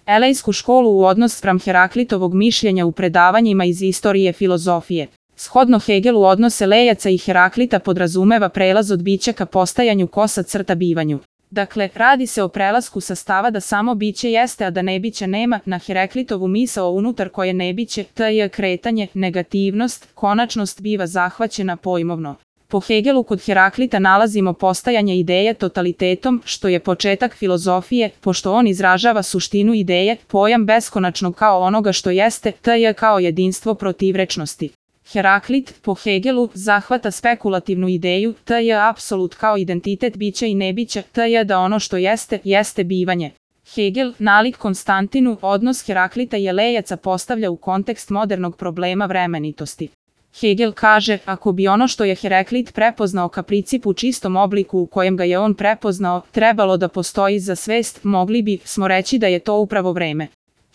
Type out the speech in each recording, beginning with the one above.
Elejsku školu u odnos spram Heraklitovog mišljenja u predavanjima iz istorije filozofije. Shodno Hegelu odnos Elejaca i Heraklita podrazumeva prelaz od bića ka postajanju bivanju. Dakle, radi se o prelasku sa stava da samo biće jeste, a da nebića nema, na Heraklitovu misao unutar koje nebiće, t.j. kretanje, negativnost, konačnost biva zahvaćena pojmovno. Po Hegelu kod Heraklita nalazimo postajanje ideje totalitetom, što je početak filozofije, pošto on izražava suštinu ideje, pojam beskonačnog kao onoga što jeste, t.j. kao jedinstvo protivrečnosti. Heraklit, po Hegelu, zahvata spekulativnu ideju, t.j. apsolut kao identitet bića i nebića, t.j. da ono što jeste, jeste bivanje. Hegel, nalik Konstantinu, odnos Heraklita i Elejaca postavlja u kontekst modernog problema vremenitosti. Hegel kaže, ako bi ono što je Heraklit prepoznao ka principu u čistom obliku u kojem ga je on prepoznao, trebalo da postoji za svest, mogli smo reći da je to upravo vreme.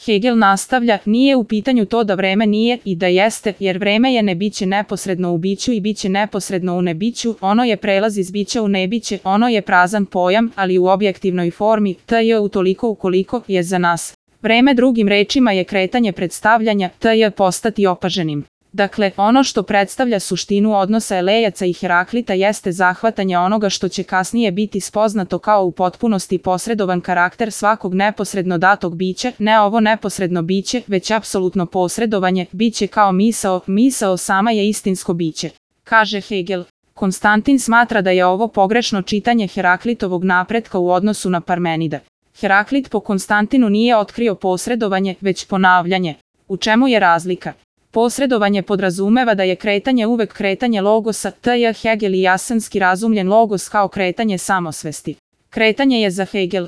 Hegel nastavlja, nije u pitanju to da vreme nije i da jeste, jer vreme je nebiće neposredno u biću i biće neposredno u nebiću, ono je prelaz iz bića u nebiće, ono je prazan pojam, ali u objektivnoj formi, t.j. utoliko ukoliko je za nas. Vreme drugim rečima je kretanje predstavljanja, t.j. postati opaženim. Dakle, ono što predstavlja suštinu odnosa Elejaca i Heraklita jeste zahvatanje onoga što će kasnije biti spoznato kao u potpunosti posredovan karakter svakog neposredno datog bića, ne ovo neposredno biće, već apsolutno posredovanje, biće kao misao, misao sama je istinsko biće. Kaže Hegel. Konstantin smatra da je ovo pogrešno čitanje Heraklitovog napretka u odnosu na Parmenida. Heraklit po Konstantinu nije otkrio posredovanje, već ponavljanje. U čemu je razlika? Posredovanje podrazumeva da je kretanje uvek kretanje logosa, t.j. Hegel i Jasenski razumljen logos kao kretanje samosvesti. Kretanje je za Hegel